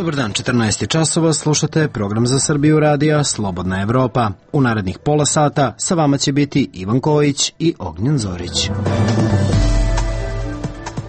Dobar dan, 14 časova, slušate program za Srbiju radija Slobodna Evropa. U narednih pola sata sa vama će biti Ivan Kojić i Ognjen Zorić.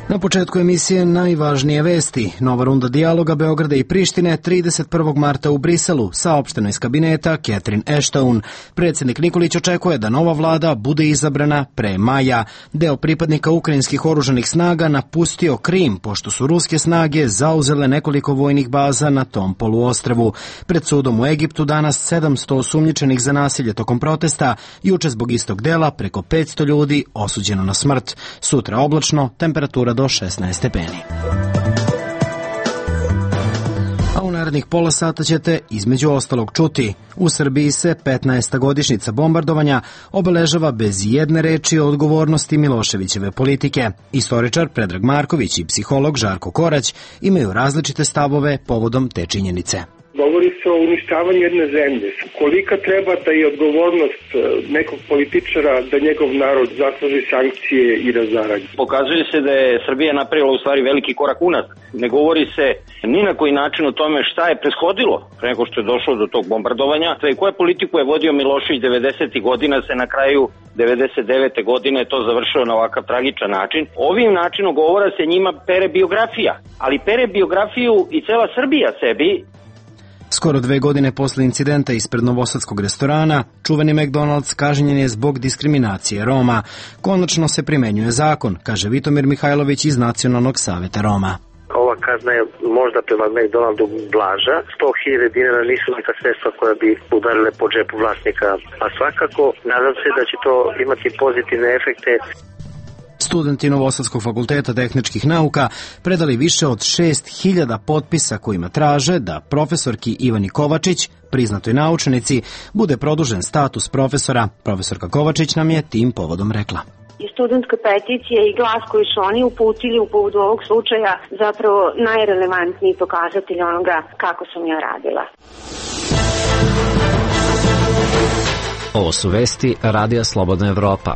Na početku emisije najvažnije vesti. Nova runda dijaloga Beograda i Prištine 31. marta u Briselu, saopšteno iz kabineta Catherine Ashton. Predsjednik Nikolić očekuje da nova vlada bude izabrana pre maja. Deo pripadnika ukrajinskih oružanih snaga napustio Krim, pošto su ruske snage zauzele nekoliko vojnih baza na tom poluostrvu. Pred sudom u Egiptu danas 700 osumnjičenih za nasilje tokom protesta, juče zbog istog dela preko 500 ljudi osuđeno na smrt. Sutra oblačno, temperatura do 16 stepeni. A u narednih pola sata ćete između ostalog čuti: u Srbiji se 15. godišnjica bombardovanja obeležava bez jedne reči o odgovornosti Miloševićeve politike. Istoričar Predrag Marković i psiholog Žarko Korać imaju različite stavove povodom te činjenice. Govori se o uništavanju jedne zemlje. Kolika treba da je odgovornost nekog političara da njegov narod zasluži sankcije i razaranje? Pokazuje se da je Srbija napravila u stvari veliki korak unazad. Ne govori se ni na koji način o tome šta je prethodilo pre nego što je došlo do tog bombardovanja. I koju politiku je vodio Milošević 90. godina, se na kraju 99. godine to završilo na ovakav tragičan način. Ovim načinom govora se njima pere biografija, ali pere biografiju i cela Srbija sebi. Skoro 2 godine posle incidenta ispred novosadskog restorana, čuveni McDonald's kažnjen je zbog diskriminacije Roma. Konačno se primenjuje zakon, kaže Vitomir Mihajlović iz Nacionalnog saveta Roma. Ova kazna je možda prema McDonaldu blaža. 100.000 dinara nisu neka sredstva koja bi udarile po džepu vlasnika, a svakako nadam se da će to imati pozitivne efekte. Studenti Novosadskog fakulteta tehničkih nauka predali više od 6.000 potpisa kojima traže da profesorki Ivani Kovačić, priznatoj naučnici, bude produžen status profesora. Profesorka Kovačić nam je tim povodom rekla: I studentska peticija i glas koji su oni uputili u povodu ovog slučaja zapravo najrelevantniji pokazatelj onoga kako sam ja radila. Ovo su vesti Radija Slobodna Evropa.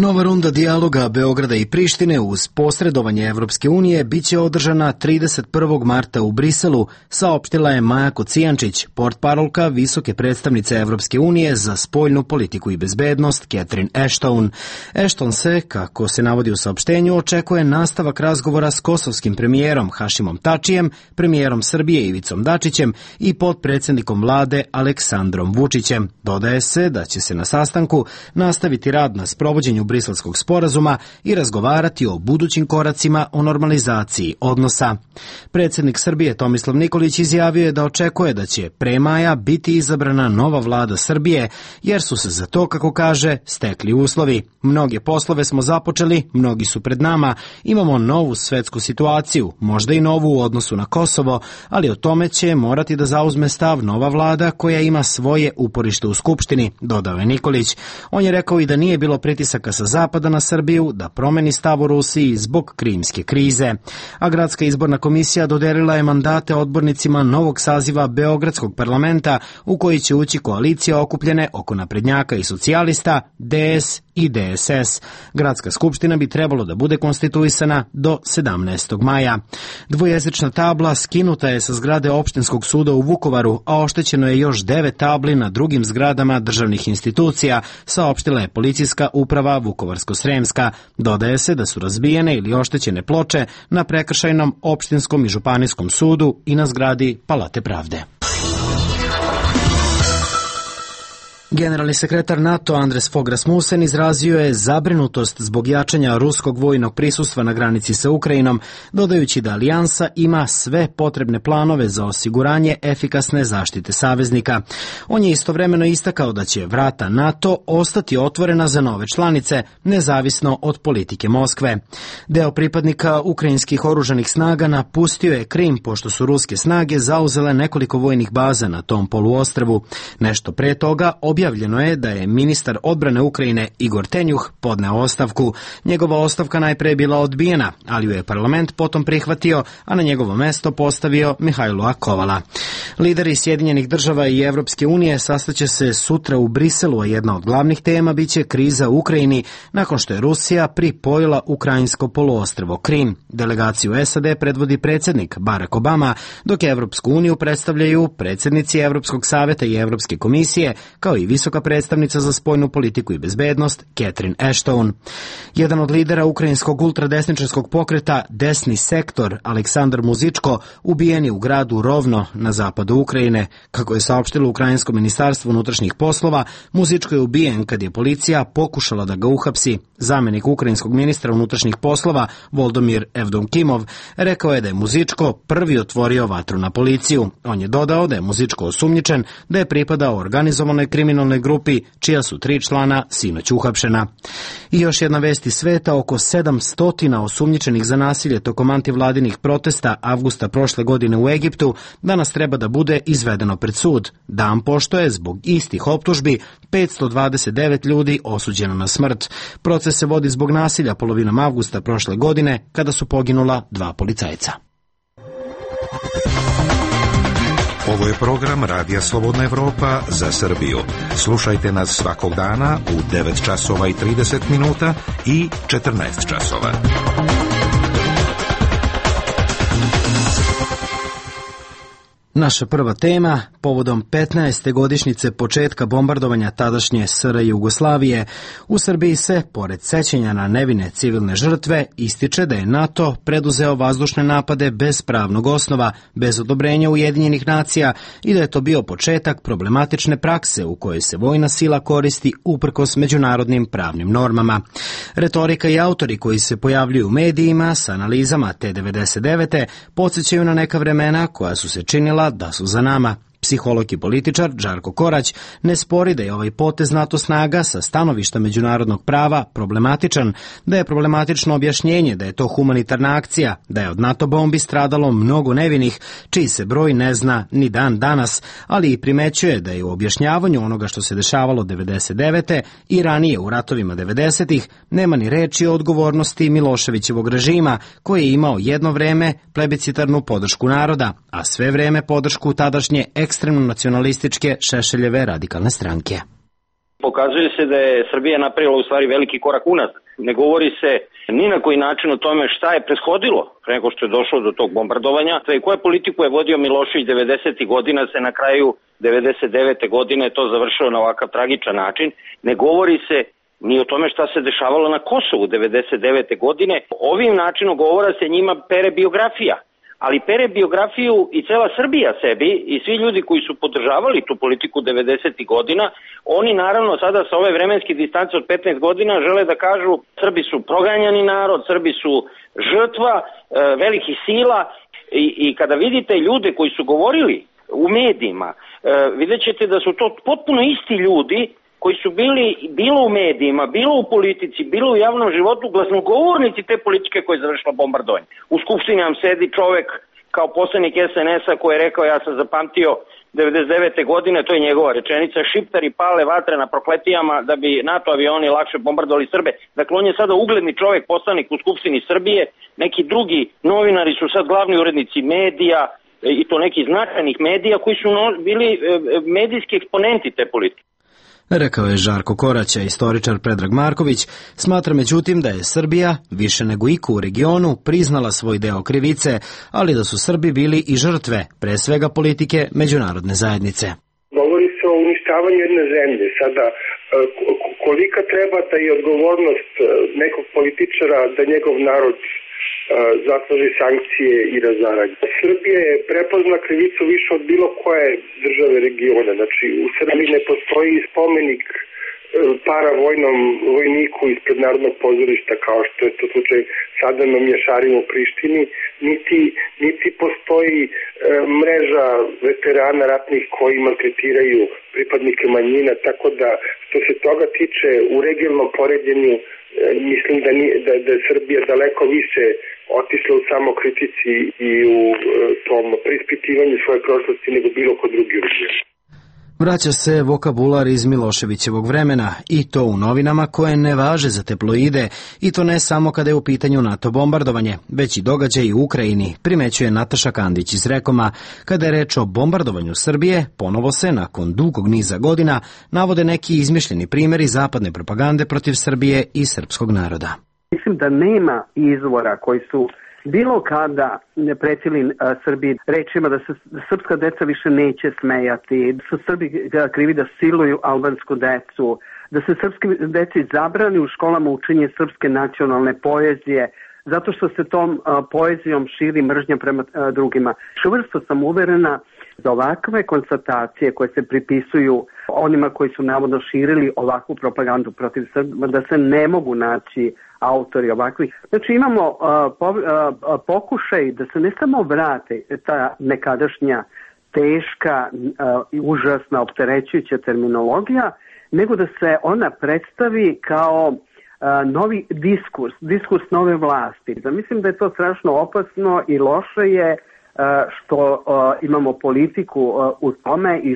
Nova runda dijaloga Beograda i Prištine uz posredovanje Evropske unije biće održana 31. marta u Briselu, saopštila je Maja Kocijančić, portparolka visoke predstavnice Evropske unije za spoljnu politiku i bezbednost Catherine Ashton. Ashton se, kako se navodi u saopštenju, očekuje nastavak razgovora s kosovskim premijerom Hašimom Tačijem, premijerom Srbije Ivicom Dačićem i potpredsjednikom vlade Aleksandrom Vučićem. Dodaje se da će se na sastanku nastaviti rad na sprovođenju Briselskog sporazuma i razgovarati o budućim koracima o normalizaciji odnosa. Predsjednik Srbije Tomislav Nikolić izjavio je da očekuje da će pre maja biti izabrana nova vlada Srbije, jer su se za to, kako kaže, stekli uslovi. Mnoge poslove smo započeli, mnogi su pred nama, imamo novu svetsku situaciju, možda i novu u odnosu na Kosovo, ali o tome će morati da zauzme stav nova vlada koja ima svoje uporište u Skupštini, dodao je Nikolić. On je rekao i da nije bilo pritisaka sa zapada na Srbiju da promeni stav u Rusiji zbog krimske krize. A Gradska izborna komisija dodelila je mandate odbornicima novog saziva Beogradskog parlamenta u koji će ući koalicije okupljene oko naprednjaka i socijalista, DS i DSS. Gradska skupština bi trebalo da bude konstituisana do 17. maja. Dvojezična tabla skinuta je sa zgrade opštinskog suda u Vukovaru, a oštećeno je još 9 tabli na drugim zgradama državnih institucija, saopštila je policijska uprava Vukovarsko-Sremska. Dodaje se da su razbijene ili oštećene ploče na prekršajnom, opštinskom i županijskom sudu i na zgradi Palate pravde. Generalni sekretar NATO Andres Fogh Rasmussen izrazio je zabrinutost zbog jačanja ruskog vojnog prisustva na granici sa Ukrajinom, dodajući da alijansa ima sve potrebne planove za osiguranje efikasne zaštite saveznika. On je istovremeno istakao da će vrata NATO ostati otvorena za nove članice, nezavisno od politike Moskve. Deo pripadnika ukrajinskih oružanih snaga napustio je Krim, pošto su ruske snage zauzele nekoliko vojnih baza na tom poluostrvu. Nešto pre toga objavljeno objavljeno je da je ministar odbrane Ukrajine Igor Tenjuh podneo ostavku. Njegova ostavka najpre je bila odbijena, ali ju je parlament potom prihvatio, a na njegovo mesto postavio Mihajla Kovala. Lideri Sjedinjenih država i Evropske unije sastaće se sutra u Briselu, a jedna od glavnih tema biće kriza u Ukrajini nakon što je Rusija pripojila ukrajinsko poluostrvo Krim. Delegaciju SAD predvodi predsjednik Barack Obama, dok Evropsku uniju predstavljaju predsjednici Evropskog savjeta i Evropske komisije, kao i visoka predstavnica za spoljnu politiku i bezbednost Catherine Ashton. Jedan od lidera ukrajinskog ultradesničarskog pokreta Desni sektor, Aleksandar Muzičko, ubijen je u gradu Rovno na zapadu Ukrajine. Kako je saopštilo Ukrajinsko ministarstvo unutrašnjih poslova, Muzičko je ubijen kad je policija pokušala da ga uhapsi. Zamenik ukrajinskog ministra unutrašnjih poslova Volodymyr Evdokimov rekao je da je Muzičko prvi otvorio vatru na policiju. On je dodao da je Muzičko osumnjičen da je pripadao organizovanoj kriminalnoj grupi, čija su 3 člana sinoć uhapšena. I još jedna vest iz sveta, oko 700 osumnjičenih za nasilje tokom antivladinih protesta avgusta prošle godine u Egiptu danas treba da bude izvedeno pred sud. Dan pošto je zbog istih optužbi 529 ljudi osuđeno na smrt. Proces se vodi zbog nasilja polovinom avgusta prošle godine, kada su poginula 2 policajca. Ovo je program Radija Slobodna Evropa za Srbiju. Slušajte nas svakog dana u 9 časova i 30 minuta i 14 časova. Naša prva tema, povodom 15. godišnjice početka bombardovanja tadašnje SR Jugoslavije, u Srbiji se, pored sećanja na nevine civilne žrtve, ističe da je NATO preduzeo vazdušne napade bez pravnog osnova, bez odobrenja Ujedinjenih nacija i da je to bio početak problematične prakse u kojoj se vojna sila koristi uprkos međunarodnim pravnim normama. Retorika i autori koji se pojavljuju u medijima s analizama te 99. podsjećaju na neka vremena koja su se činila da su za nama. Psiholog i političar Žarko Korać ne spori da je ovaj potez NATO snaga sa stanovišta međunarodnog prava problematičan, da je problematično objašnjenje da je to humanitarna akcija, da je od NATO bombi stradalo mnogo nevinih, čiji se broj ne zna ni dan danas, ali i primećuje da je u objašnjavanju onoga što se dešavalo 99. i ranije u ratovima 90-ih nema ni reči o odgovornosti Miloševićevog režima, koji je imao jedno vreme plebiscitarnu podršku naroda, a sve vreme podršku tadašnje ekstremno nacionalističke Šešeljeve radikalne stranke. Pokazuje se da je Srbija napravila u stvari veliki korak unazad. Ne govori se ni na koji način o tome šta je prethodilo pre nego što je došlo do tog bombardovanja i koju politiku je vodio Milošević 90. godina, se na kraju 99. godine to završilo na ovakav tragičan način. Ne govori se ni o tome šta se dešavalo na Kosovu 99. godine. Ovim načinom govora se njima pere biografija. Ali pere biografiju i cela Srbija sebi i svi ljudi koji su podržavali tu politiku 90. godina, oni naravno sada sa ove vremenske distance od 15 godina žele da kažu Srbi su proganjani narod, Srbi su žrtva velikih sila i kada vidite ljude koji su govorili u medijima, vidjet ćete da su to potpuno isti ljudi koji su bili bilo u medijima, bilo u politici, bilo u javnom životu, glasnogovornici te politike koje je završila bombardovanje. U skupštini nam sedi čovek kao poslanik SNS-a koji je rekao, ja sam zapamtio 99. godine, to je njegova rečenica, šiptari pale vatre na prokletijama da bi NATO avioni lakše bombardovali Srbe. Dakle, on je sada ugledni čovek, poslanik u skupštini Srbije, neki drugi novinari su sad glavni urednici medija, i to nekih značajnih medija koji su bili medijski eksponenti te politike. Rekao je Žarko Korać, a istoričar Predrag Marković smatra međutim da je Srbija, više nego iko u regionu, priznala svoj deo krivice, ali da su Srbi bili i žrtve, pre svega politike međunarodne zajednice. Govori se o uništavanju jedne zemlje. Sada, kolika treba da je odgovornost nekog političara da njegov narod zatraži sankcije i razaranje. Srbija je prepozna krivicu više od bilo koje države regiona. Znači, u Srbiji ne postoji spomenik paravojnom vojniku ispred Narodnog pozorišta, kao što je to slučaj sada na Mješarima u Prištini, niti postoji mreža veterana ratnih koji maltretiraju pripadnike manjina, tako da što se toga tiče u regionalnom poređenju mislim da je Srbija daleko više otišla u samokritici i u tom preispitivanju svoje prošlosti nego bilo ko drugi u regionu. Vraća se vokabular iz Miloševićevog vremena i to u novinama koje ne važe za tabloide i to ne samo kada je u pitanju NATO bombardovanje, već i događaj u Ukrajini, primećuje Nataša Kandić iz Rekoma. Kada je reč o bombardovanju Srbije, ponovo se, nakon dugog niza godina, navode neki izmišljeni primjeri zapadne propagande protiv Srbije i srpskog naroda. Mislim da nema izvora koji su bilo kada pretili Srbiji rečima da se srpska deca više neće smejati, da su Srbi krivi da siluju albansku decu, da se srpski deci zabrani u školama učenje srpske nacionalne poezije, zato što se tom poezijom širi mržnja prema drugima. Čvrsto sam uverena da ovakve konstatacije koje se pripisuju onima koji su navodno širili ovakvu propagandu protiv Srba, da se ne mogu naći autori ovakvih. Znači imamo pokušaj da se ne samo vrate ta nekadašnja teška i užasna opterećujuća terminologija, nego da se ona predstavi kao novi diskurs nove vlasti. Mislim da je to strašno opasno i loše je što imamo politiku u tome i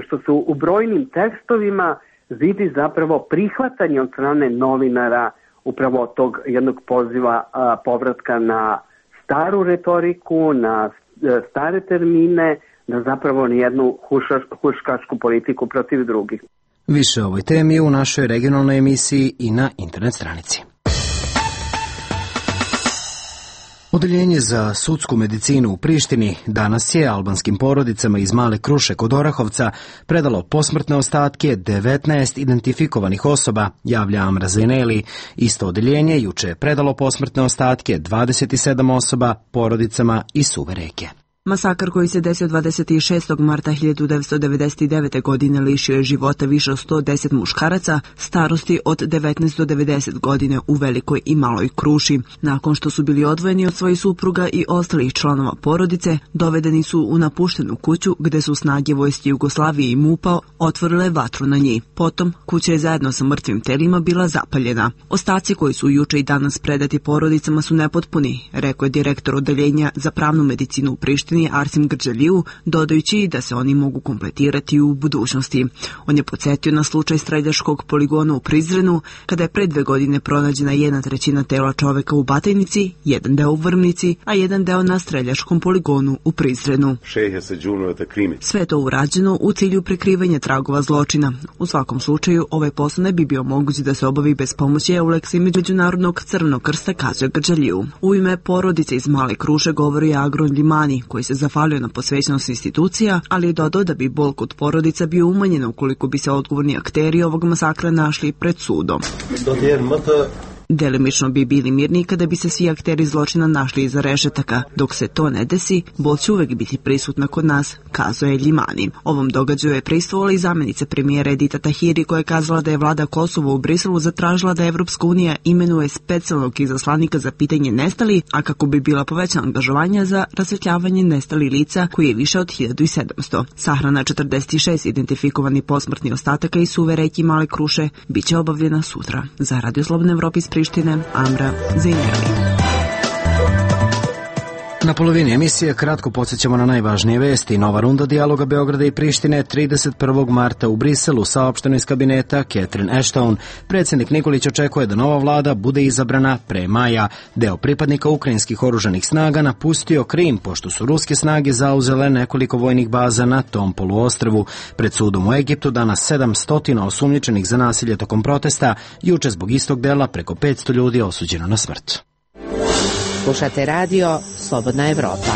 što se u brojnim tekstovima vidi zapravo prihvatanje od strane novinara upravo tog jednog poziva povratka na staru retoriku, na stare termine, na zapravo nijednu huškačku politiku protiv drugih. Više o ovoj temi u našoj regionalnoj emisiji i na internet stranici. Odeljenje za sudsku medicinu u Prištini danas je albanskim porodicama iz Male Kruše kod Orahovca predalo posmrtne ostatke 19 identifikovanih osoba, javlja Amra Zeneli. Isto odeljenje juče je predalo posmrtne ostatke 27 osoba porodicama iz Suve reke. Masakar koji se desio 26. marta 1999. godine lišio je života više od 110 muškaraca starosti od 19 do 90 godine u Velikoj i Maloj Kruši. Nakon što su bili odvojeni od svojih supruga i ostalih članova porodice, dovedeni su u napuštenu kuću gde su snage vojske Jugoslavije i MUP-a otvorile vatru na njih. Potom, kuća je zajedno sa mrtvim telima bila zapaljena. Ostaci koji su juče i danas predati porodicama su nepotpuni, rekao je direktor odeljenja za pravnu medicinu u Prištini Arsim Grđaliju, dodajući da se oni mogu kompletirati u budućnosti. On je podsjetio na slučaj streljačkog poligona u Prizrenu, kada je pre 2 godine pronađena 1/3 tela čoveka u Batajnici, 1 deo u Vrmnici, a 1 deo na streljačkom poligonu u Prizrenu. Sve to urađeno u cilju prikrivanja tragova zločina. U svakom slučaju, ovaj posao ne bi bio moguć da se obavi bez pomoći EULEX i Međunarodnog crvenog krsta, kazuje Grđaliju. U ime porodice iz Male Kruše govori Agron Limani, koji se zahvalio na posvećenost institucija, ali je dodao da bi bol kod porodica bio umanjen ukoliko bi se odgovorni akteri ovog masakra našli pred sudom. Delimično bi bili mirni kada bi se svi akteri zločina našli iza rešetaka. Dok se to ne desi, bol će uvek biti prisutna kod nas, kazuje Ljimani. Ovom događaju je prisutovala i zamenica premijera Edita Tahiri, koja je kazala da je vlada Kosova u Briselu zatražila da Evropska unija imenuje specijalnog izaslanika za pitanje nestali, a kako bi bila povećana angažovanja za rasvetljavanje nestalih lica, koji je više od 1700. Sahrana 46 identifikovani posmrtni ostataka iz Suve reke i Male Kruše biće obavljena sutra. Za Radio Slobodne Evrope iz Prištine, Amra Zeneli. Na polovini emisije kratko podsjećamo na najvažnije vesti. Nova runda dijaloga Beograda i Prištine 31. marta u Briselu, saopšteno iz kabineta Catherine Ashton. Predsjednik Nikolić očekuje da nova vlada bude izabrana pre maja. Deo pripadnika ukrajinskih oružanih snaga napustio Krim, pošto su ruske snage zauzele nekoliko vojnih baza na tom poluostrvu. Pred sudom u Egiptu danas 700 osumnjičenih za nasilje tokom protesta. Juče zbog istog dela preko 500 ljudi osuđeno na smrt. Slušate radio Slobodna Evropa.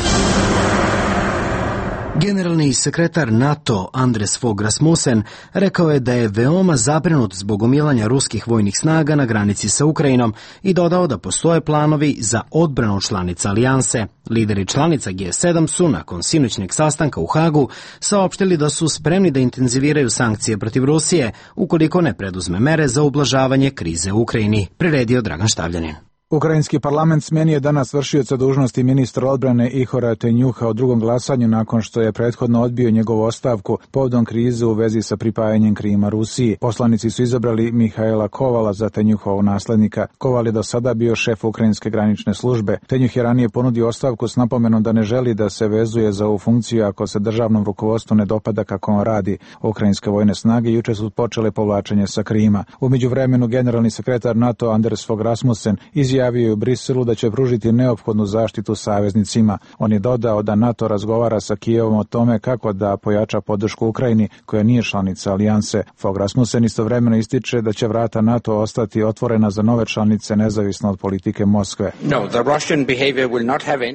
Generalni sekretar NATO Andres Fogh Rasmussen rekao je da je veoma zabrinut zbog gomilanja ruskih vojnih snaga na granici sa Ukrajinom i dodao da postoje planovi za odbranu članica alijanse. Lideri članica G7 su nakon sinoćnjeg sastanka u Hagu saopštili da su spremni da intenziviraju sankcije protiv Rusije ukoliko ne preduzme mere za ublažavanje krize u Ukrajini, priredio Dragan Štavljanin. Ukrajinski parlament smenio danas vršioca dužnosti ministra odbrane Ihora Tenjuha u drugom glasanju nakon što je prethodno odbio njegovu ostavku povodom krize u vezi sa pripajanjem Krima Rusiji. Poslanici su izabrali Mihaela Kovala za Tenjuhovog naslednika. Koval je do sada bio šef ukrajinske granične službe. Tenjuh je ranije ponudio ostavku s napomenom da ne želi da se vezuje za ovu funkciju ako se državnom rukovodstvu ne dopada kako on radi. Ukrajinske vojne snage juče su počele povlačenje sa Krima. U međuvremenu generalni sekretar NATO Anders Fogh Rasmussen izjavio je u Briselu da će pružiti neophodnu zaštitu saveznicima. On je dodao da NATO razgovara sa Kijevom o tome kako da pojača podršku Ukrajini koja nije članica alijanse. Fogh Rasmussen istovremeno ističe da će vrata NATO ostati otvorena za nove članice nezavisno od politike Moskve.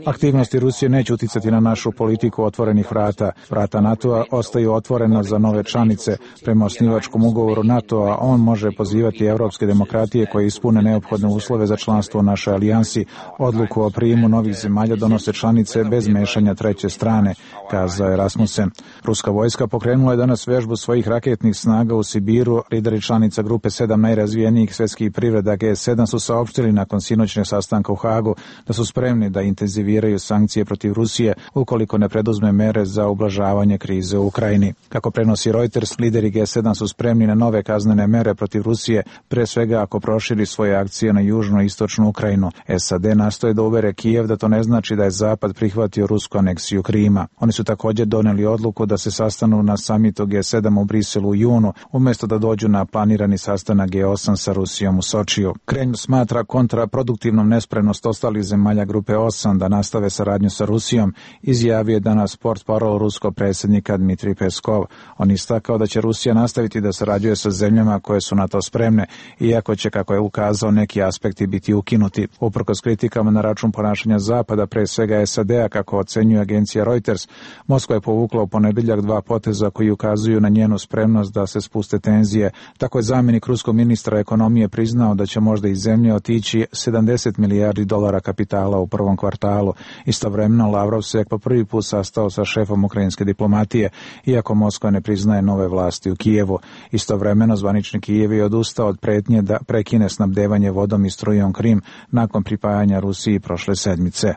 Aktivnosti Rusije neće uticati na našu politiku otvorenih vrata. Vrata NATO-a ostaju otvorena za nove članice. Prema osnivačkom ugovoru NATO-a on može pozivati evropske demokratije koje ispune neophodne uslove za članstvo u našoj alijansi. Odluku o prijemu novih zemalja donose članice bez mešanja treće strane, kazao je Rasmussen. Ruska vojska pokrenula je danas vežbu svojih raketnih snaga u Sibiru. Lideri članica grupe 7 najrazvijenijih svjetskih privreda G7 su saopštili nakon sinoćnog sastanka u Hagu da su spremni da intenziviraju sankcije protiv Rusije ukoliko ne preduzme mere za ublažavanje krize u Ukrajini. Kako prenosi Reuters, lideri G7 su spremni na nove kaznene mere protiv Rusije, pre svega ako proširi svoje akcije na južnu i istočnu Ukrajinu. SAD nastoje da uvere Kijev da to ne znači da je Zapad prihvatio rusku aneksiju Krima. Oni su također doneli odluku da se sastanu na samitu G7 u Briselu u junu, umjesto da dođu na planirani sastanak G8 sa Rusijom u Sočiju. Kremlj smatra kontraproduktivnom nespremnost ostalih zemalja grupe 8 da nastave saradnju sa Rusijom, izjavio je danas portparol ruskog predsjednika Dmitrij Peskov. On istakao da će Rusija nastaviti da sarađuje sa zemljama koje su na to spremne, iako će, kako je ukazao, neki aspekti biti ukinuti. Uprkos kritikama na račun ponašanja Zapada, pre svega SAD-a, kako ocenjuje agencija Reuters, Moskva je povukla u ponedjeljak 2 poteza koji ukazuju na njenu spremnost da se spuste tenzije. Tako je zamjenik ruskog ministra ekonomije priznao da će možda iz zemlje otići $70 milijardi kapitala u prvom kvartalu. Istovremeno Lavrov se po prvi put sastao sa šefom ukrajinske diplomatije, iako Moskva ne priznaje nove vlasti u Kijevu. Istovremeno zvanični Kijev je odustao od pretnje da prekine snabdevanje vodom i strujom Krim nakon pripajanja Rusiji prošle sedmice.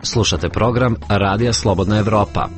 Slušate program Radija Slobodna Evropa.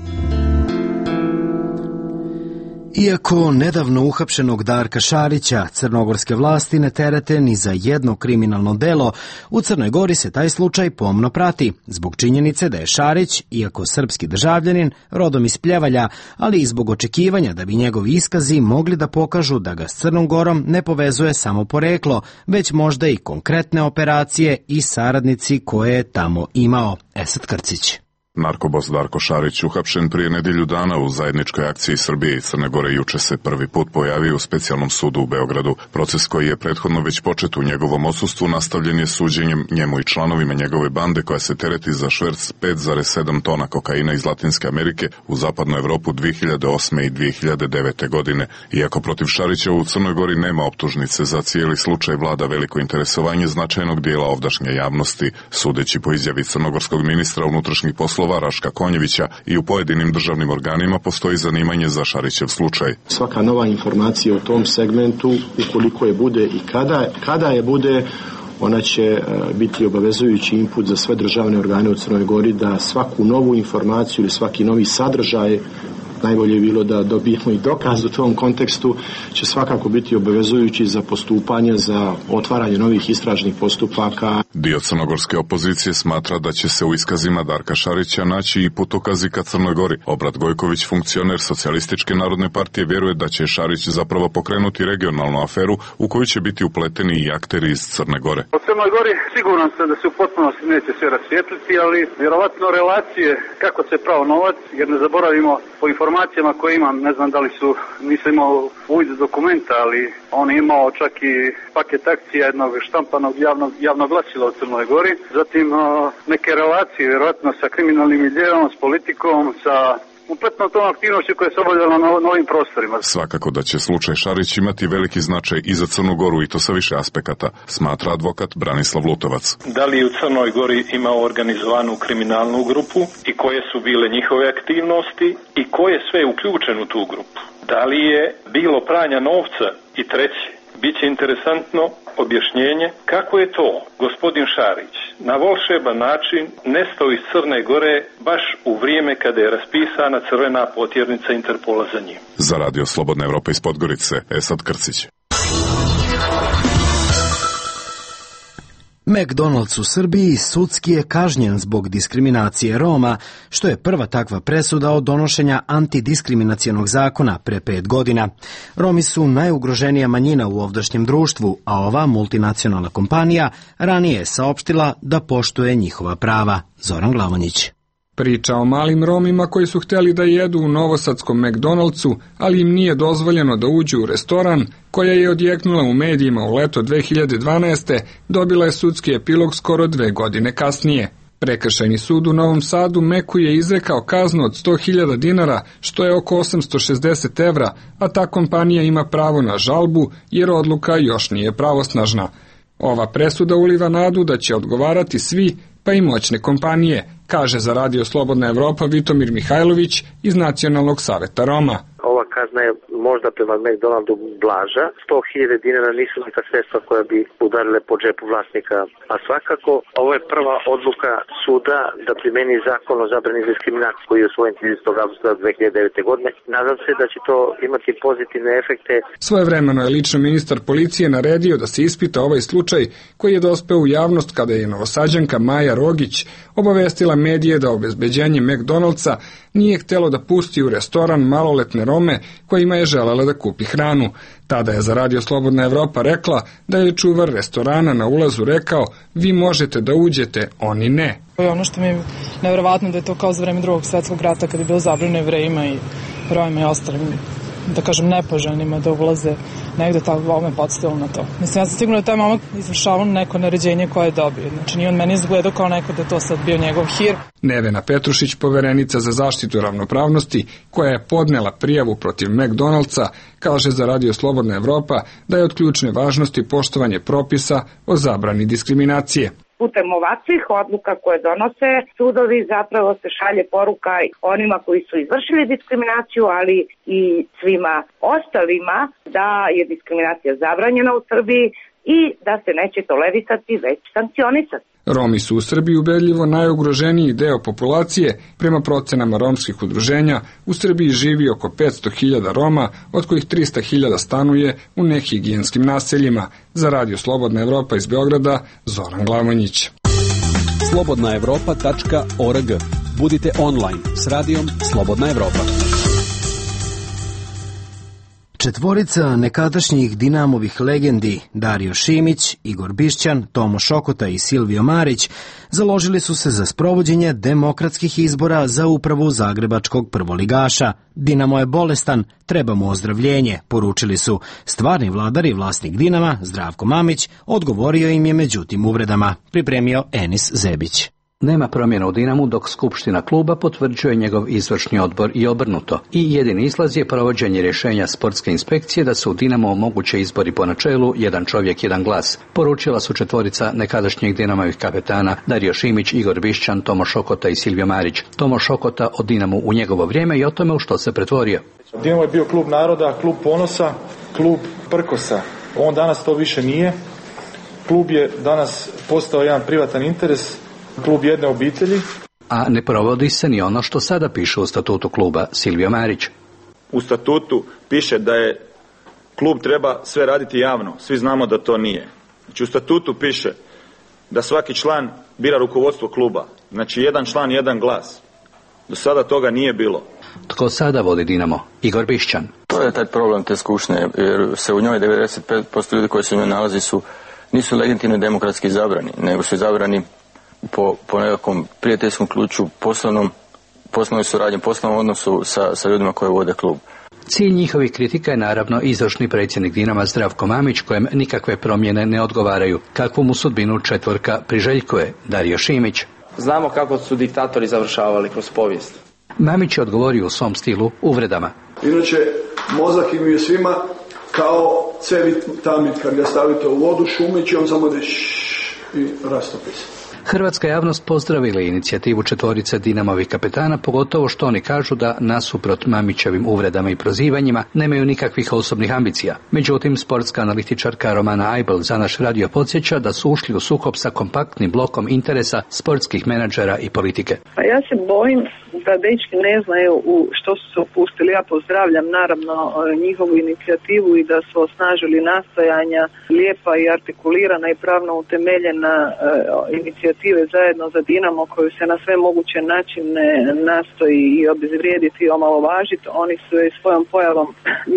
Iako nedavno uhapšenog Darka Šarića crnogorske vlasti ne terete ni za jedno kriminalno delo, u Crnoj Gori se taj slučaj pomno prati, zbog činjenice da je Šarić, iako srpski državljanin, rodom iz Pljevalja, ali i zbog očekivanja da bi njegovi iskazi mogli da pokažu da ga s Crnom Gorom ne povezuje samo poreklo, već možda i konkretne operacije i saradnici koje je tamo imao. Esad Krcić. Narkobos Darko Šarić, uhapšen prije nedjelju dana u zajedničkoj akciji Srbije i Crne Gore, juče se prvi put pojavio u specijalnom sudu u Beogradu. Proces koji je prethodno već počet u njegovom odsustvu nastavljen je suđenjem njemu i članovima njegove bande koja se tereti za šverc 5,7 tona kokaina iz Latinske Amerike u zapadnu Evropu 2008. i 2009. godine. Iako protiv Šarića u Crnoj Gori nema optužnice, za cijeli slučaj vlada veliko interesovanje značajnog dijela ovdašnje javnosti. Sudeći po izjavi crnogorskog ministra unutrašnjih poslova Raška Konjevića, i u pojedinim državnim organima postoji zanimanje za Šarićev slučaj. Svaka nova informacija u tom segmentu, ukoliko je bude i kada je bude, ona će biti obavezujući input za sve državne organe u Crnoj Gori da svaku novu informaciju ili svaki novi sadržaj, najbolje je bilo da dobijemo i dokaz u tom kontekstu, će svakako biti obavezujući za postupanje, za otvaranje novih istražnih postupaka. Dio crnogorske opozicije smatra da će se u iskazima Darka Šarića naći i putokazi ka Crnoj Gori. Obrat Gojković, funkcioner Socijalističke narodne partije, vjeruje da će Šarić zapravo pokrenuti regionalnu aferu u koju će biti upleteni i akteri iz Crne Gore. U Crnoj Gori siguran sam da se u potpunosti neće sve rasvijetliti, ali vjerovatno relacije kako se pravo novac, jer ne zaboravimo po informacijama koje imam, ne znam da li su, nisam imao uvid dokumenta, ali on je imao čak i paket akcija jednog štampanog javnog glasila u Crnoj Gori, zatim neke relacije vjerojatno sa kriminalnim miljeom, s politikom, sa kompletno tom aktivnošću koja se obavljala na novim prostorima. Svakako da će slučaj Šarić imati veliki značaj i za Crnu Goru, i to sa više aspekata, smatra advokat Branislav Lutovac. Da li u Crnoj Gori imao organizovanu kriminalnu grupu i koje su bile njihove aktivnosti i ko je sve uključen u tu grupu? Da li je bilo pranja novca? I treće, Biće interesantno objašnjenje kako je to gospodin Šarić na volšeban način nestao iz Crne Gore baš u vrijeme kada je raspisana crvena potjernica Interpola za njim. Za Radio Slobodna Evropa iz Podgorice, Esad Krcić. McDonald's u Srbiji sudski je kažnjen zbog diskriminacije Roma, što je prva takva presuda od donošenja antidiskriminacionog zakona pre 5 godina. Romi su najugroženija manjina u ovdašnjem društvu, a ova multinacionalna kompanija ranije je saopštila da poštuje njihova prava. Zoran Glavonjić. Priča o malim Romima koji su htjeli da jedu u novosadskom McDonald'su, ali im nije dozvoljeno da uđu u restoran, koja je odjeknula u medijima u leto 2012. dobila je sudski epilog skoro 2 godine kasnije. Prekršajni sud u Novom Sadu Meku je izrekao kaznu od 100.000 dinara, što je oko 860 evra, a ta kompanija ima pravo na žalbu jer odluka još nije pravosnažna. Ova presuda uliva nadu da će odgovarati svi, pa i moćne kompanije, kaže za Radio Slobodna Evropa Vitomir Mihajlović iz Nacionalnog saveta Roma. Ova kazna je možda prema McDonaldu blaža. 100.000 dinara nisu neka sredstva koja bi udarile po džepu vlasnika. A svakako, ovo je prva odluka suda da primeni zakon o zabrani diskriminacije koji je usvojen 30. avgusta 2009. godine. Nadam se da će to imati pozitivne efekte. Svojevremeno je lično ministar policije naredio da se ispita ovaj slučaj koji je dospeo u javnost kada je novosađanka Maja Rogić obavestila medije da obezbeđenje McDonald'sa nije htjelo da pusti u restoran maloletne Rome kojima je želela da kupi hranu. Tada je za Radio Slobodna Evropa rekla da je čuvar restorana na ulazu rekao: vi možete da uđete, oni ne. Ono što mi je nevjerovatno da je to kao za vreme Drugog svjetskog rata kada je bilo zabranjeno Jevrejima i Romima i ostalim, da kažem, nepoželjnima da ulaze negde, tako ovo me podsjetilo na to. Mislim, ja sam sigurno da taj momak izvršavao neko naređenje koje je dobio. Znači, nije on meni izgledao kao neko da je to sad bio njegov hir. Nevena Petrušić, poverenica za zaštitu ravnopravnosti, koja je podnela prijavu protiv McDonald'sa, kaže za Radio Slobodna Evropa da je od ključne važnosti poštovanje propisa o zabrani diskriminacije. Putem ovakvih odluka koje donose sudovi zapravo se šalje poruka onima koji su izvršili diskriminaciju, ali i svima ostalima da je diskriminacija zabranjena u Srbiji i da se neće tolerisati, već sankcionisati. Romi su u Srbiji ubedljivo najugroženiji deo populacije. Prema procenama romskih udruženja, u Srbiji živi oko 500.000 Roma, od kojih 300.000 stanuje u nehigijenskim naseljima. Za Radio Slobodna Evropa iz Beograda, Zoran Glavonjić. slobodnaevropa.org. Budite online s Radijom Slobodna Evropa. Četvorica nekadašnjih Dinamovih legendi Dario Šimić, Igor Bišćan, Tomo Šokota i Silvio Marić založili su se za sprovođenje demokratskih izbora za upravu zagrebačkog prvoligaša. Dinamo je bolestan, treba mu ozdravljenje, poručili su. Stvarni vladar i vlasnik Dinama, Zdravko Mamić, odgovorio im je međutim uvredama. Pripremio Enis Zebić. Nema promjena u Dinamu dok skupština kluba potvrđuje njegov izvršni odbor i obrnuto. I jedini izlaz je provođenje rješenja sportske inspekcije da se u Dinamo omoguće izbori po načelu jedan čovjek, jedan glas. Poručila su četvorica nekadašnjih Dinamovih kapetana Dario Šimić, Igor Bišćan, Tomo Šokota i Silvio Marić. Tomo Šokota o Dinamu u njegovo vrijeme i o tome u što se pretvorio. Dinamo je bio klub naroda, klub ponosa, klub prkosa. On danas to više nije. Klub je danas postao jedan privatan interes, klub jedne obitelji. A ne provodi se ni ono što sada piše u statutu kluba. Silvio Marić. U statutu piše da je klub treba sve raditi javno. Svi znamo da to nije. Znači u statutu piše da svaki član bira rukovodstvo kluba. Znači jedan član, jedan glas. Do sada toga nije bilo. Tko sada vodi Dinamo? Igor Bišćan. To je taj problem te skupštine, jer se u njoj 95% ljudi koji se u njoj nalazi nisu legitimno demokratski izabrani, nego su izabrani po nekakvom prijateljskom ključu, poslovnoj suradnji, poslovnom odnosu sa ljudima koji vode klub. Cilj njihovih kritika je naravno izvršni predsjednik Dinama Zdravko Mamić, kojem nikakve promjene ne odgovaraju. Kakvu mu sudbinu četvorka priželjkuje? Dario Šimić. Znamo kako su diktatori završavali kroz povijest. Mamić je odgovorio u svom stilu uvredama. Inače, mozak im je svima kao cevit tamit, kad ga stavite u vodu, šumeći, on samo da i rastopi se. Hrvatska javnost pozdravila inicijativu četvorice Dinamovih kapetana, pogotovo što oni kažu da nasuprot Mamićevim uvredama i prozivanjima nemaju nikakvih osobnih ambicija. Međutim, sportska analitičarka Romana Ajbel za naš radio podsjeća da su ušli u sukob sa kompaktnim blokom interesa sportskih menadžera i politike. Pa ja se bojim da dečki ne znaju u što su se upustili. Ja pozdravljam naravno njihovu inicijativu i da su osnažili nastojanja lijepa i artikulirana i pravno utemeljena inicijative zajedno za Dinamo koju se na sve moguće načine nastoji i obezvrijediti i omalovažiti. Oni su joj svojom pojavom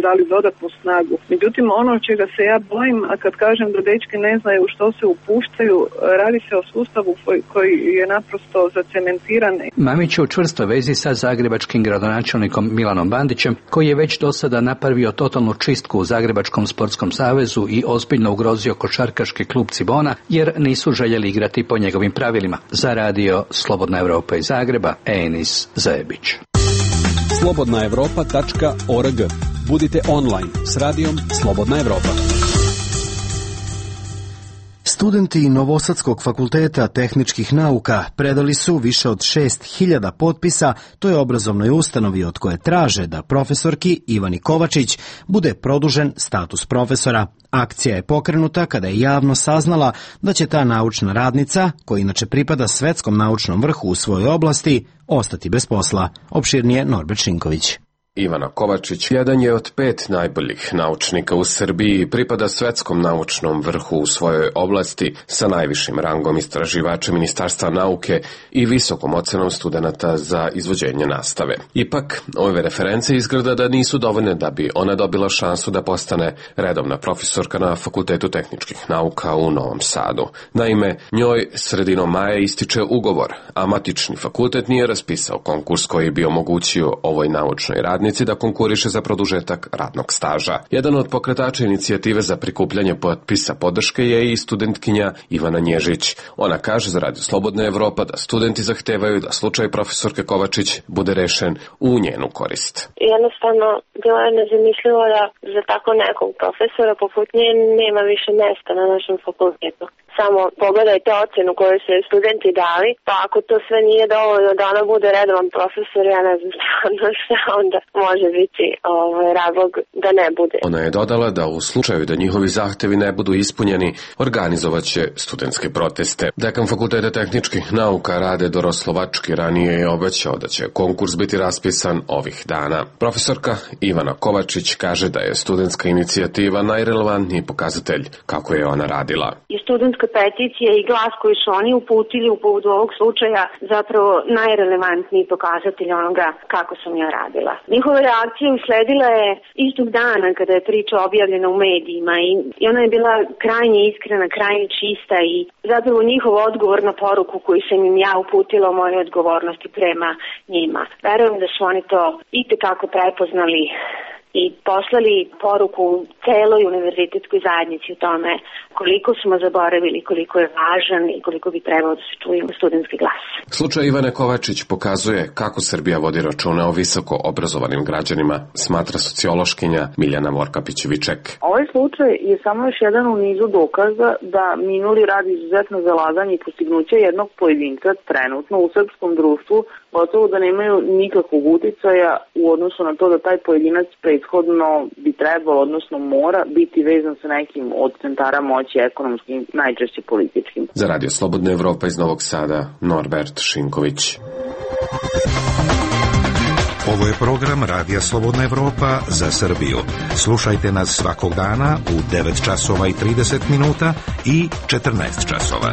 dali dodatnu snagu. Međutim, ono čega se ja bojim, a kad kažem da dečki ne znaju u što se upuštaju, radi se o sustavu koji je naprosto zacementiran. Mamić je u čvrstoj vezi sa zagrebačkim gradonačelnikom Milanom Bandićem, koji je već do sada napravio totalnu čistku u Zagrebačkom sportskom savezu i ozbiljno ugrozio košarkaški klub Cibona, jer nisu željeli igrati po njegovim pravilima. Za radio Slobodna Evropa iz Zagreba, Enis Zajebić. slobodnaevropa.org. Budite online s radijom Slobodna Evropa. Studenti Novosadskog fakulteta tehničkih nauka predali su više od 6.000 potpisa toj obrazovnoj ustanovi od koje traže da profesorki Ivani Kovačić bude produžen status profesora. Akcija je pokrenuta kada je javno saznala da će ta naučna radnica, koja inače pripada svetskom naučnom vrhu u svojoj oblasti, ostati bez posla. Opširnije Norbert Šinković. Ivana Kovačić jedan je od 5 najboljih naučnika u Srbiji i pripada svetskom naučnom vrhu u svojoj oblasti sa najvišim rangom istraživača Ministarstva nauke i visokom ocenom studenata za izvođenje nastave. Ipak, ove reference izgleda da nisu dovoljne da bi ona dobila šansu da postane redovna profesorka na Fakultetu tehničkih nauka u Novom Sadu. Naime, njoj sredinom maja ističe ugovor, a matični fakultet nije raspisao konkurs koji bi omogućio ovoj naučnoj radnici da konkuriše za produžetak radnog staža. Jedan od pokretača inicijative za prikupljanje potpisa podrške je i studentkinja Ivana Nježić. Ona kaže za Radio Slobodna Evropa da studenti zahtevaju da slučaj profesorke Kovačić bude rešen u njenu korist. Jednostavno, bilo je nezamislivo da za tako nekog profesora poput nje nema više mesta na našem fakultetu. Samo pogledajte ocenu koju su studenti dali, pa ako to sve nije dovoljno da ona bude redovan profesor, ja ne znam šta onda može biti razlog da ne bude. Ona je dodala da u slučaju da njihovi zahtevi ne budu ispunjeni, organizovaće studentske proteste. Dekan Fakulteta tehničkih nauka Rade Doroslovački ranije je obećao da će konkurs biti raspisan ovih dana. Profesorka Ivana Kovačić kaže da je studentska inicijativa najrelevantniji pokazatelj kako je ona radila. Studentska peticija i glas koji su oni uputili u povodu ovog slučaja zapravo najrelevantniji pokazatelj onoga kako sam ja radila. Njihova reakcija usledila je istog dana kada je priča objavljena u medijima i ona je bila krajnje iskrena, krajnje čista i zapravo njihov odgovor na poruku koju sam im ja uputila o mojoj odgovornosti prema njima. Verujem da su oni to itekako prepoznali i poslali poruku celoj univerzitetskoj zajednici o tome koliko smo zaboravili, koliko je važan i koliko bi trebalo da se čuje studentski glas. Slučaj Ivane Kovačić pokazuje kako Srbija vodi računa o visoko obrazovanim građanima, smatra sociološkinja Miljana Vorkapić-Viček. Ovaj slučaj je samo još jedan u nizu dokaza da minuli rad izuzetno zalaganje i postignuće jednog pojedinca trenutno u srpskom društvu gotovo da nemaju nikakvog uticaja u odnosu na to da taj pojedinac prethodno bi trebalo, odnosno mora biti vezan sa nekim od centara moći ekonomskim, najčešće političkim. Za Radio Slobodna Evropa iz Novog Sada, Norbert Šinković. Ovo je program Radija Slobodna Evropa za Srbiju. Slušajte nas svakog dana u 9 časova i 30 minuta i 14 časova.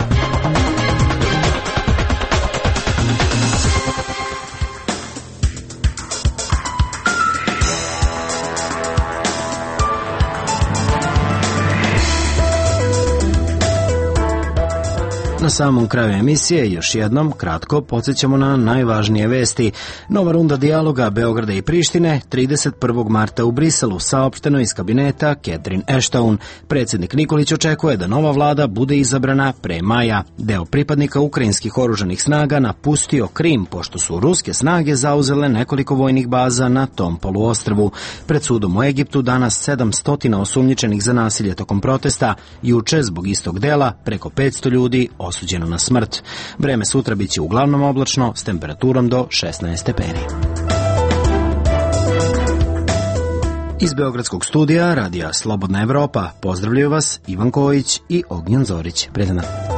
Na samom kraju emisije još jednom kratko podsjećamo na najvažnije vesti. Nova runda dijaloga Beograda i Prištine 31. marta u Briselu, saopšteno iz kabineta Catherine Ashton. Predsjednik Nikolić očekuje da nova vlada bude izabrana pre maja. Deo pripadnika ukrajinskih oružanih snaga napustio Krim, pošto su ruske snage zauzele nekoliko vojnih baza na tom poluostrvu. Pred sudom u Egiptu danas 700 osumnjičenih za nasilje tokom protesta. Juče zbog istog dela preko 500 ljudi osuđeno osuđeno na smrt. Vreme sutra biće uglavnom oblačno s temperaturom do 16 stepeni. Iz Beogradskog studija Radija Slobodna Evropa pozdravljaju vas Ivan Kojić i Ognjen Zorić. Prijatno.